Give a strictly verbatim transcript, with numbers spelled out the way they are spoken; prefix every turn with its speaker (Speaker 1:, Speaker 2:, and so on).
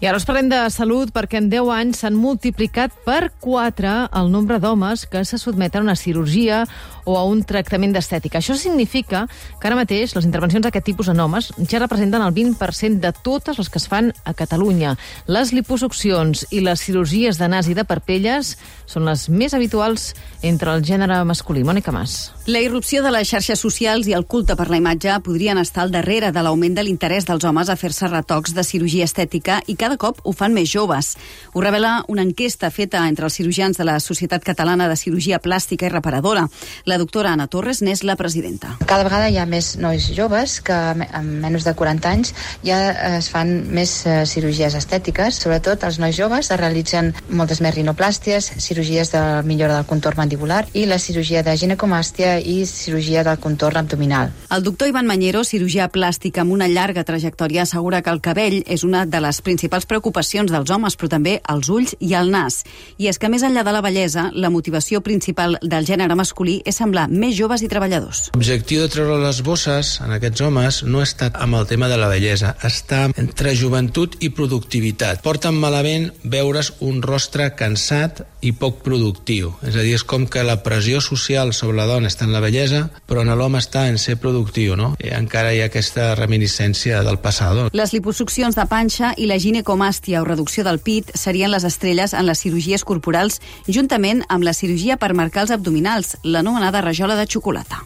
Speaker 1: I ara us parlem de salut perquè en deu anys s'han multiplicat per quatre el nombre d'homes que se sotmeten a una cirurgia o a un tractament d'estètica. Això significa que ara mateix les intervencions d'aquest tipus en homes ja representen el vint per cent de totes les que es fan a Catalunya. Les liposuccions i les cirurgies de nas i de parpelles són les més habituals entre el gènere masculí. Mònica Mas.
Speaker 2: La irrupció de les xarxes socials i el culte per la imatge podrien estar al darrere de l'augment de l'interès dels homes a fer-se retocs de cirurgia estètica i cada cop ho fan més joves. Ho revela una enquesta feta entre els cirurgians de la Societat Catalana de Cirurgia Plàstica i Reparadora. La doctora Anna Torres n'és la presidenta.
Speaker 3: Cada vegada hi ha més nois joves que amb menys de quaranta anys ja es fan més cirurgies estètiques. Sobretot els nois joves es realitzen moltes més rinoplàsties, cirurgies de millora del contorn mandibular i la cirurgia de ginecomàstia i cirurgia del contorn abdominal.
Speaker 2: El doctor Ivan Mañero, cirurgià plàstic amb una llarga trajectòria, assegura que el cabell és una de les principals preocupacions dels homes, però també els ulls i el nas. I és que més enllà de la bellesa, la motivació principal del gènere masculí és semblar més joves i treballadors.
Speaker 4: L'objectiu de treure les bosses en aquests homes no ha estat amb el tema de la bellesa, està entre joventut i productivitat. Porten malament veure's un rostre cansat i poc productiu. És a dir, és com que la pressió social sobre la dona està en la bellesa, però en l'home està en ser productiu, no? I encara hi ha aquesta reminiscència del passat.
Speaker 2: Les liposuccions de panxa i la ginecomàstia o reducció del pit serien les estrelles en les cirurgies corporals, juntament amb la cirurgia per marcar els abdominals, l'anomenada rajola de xocolata.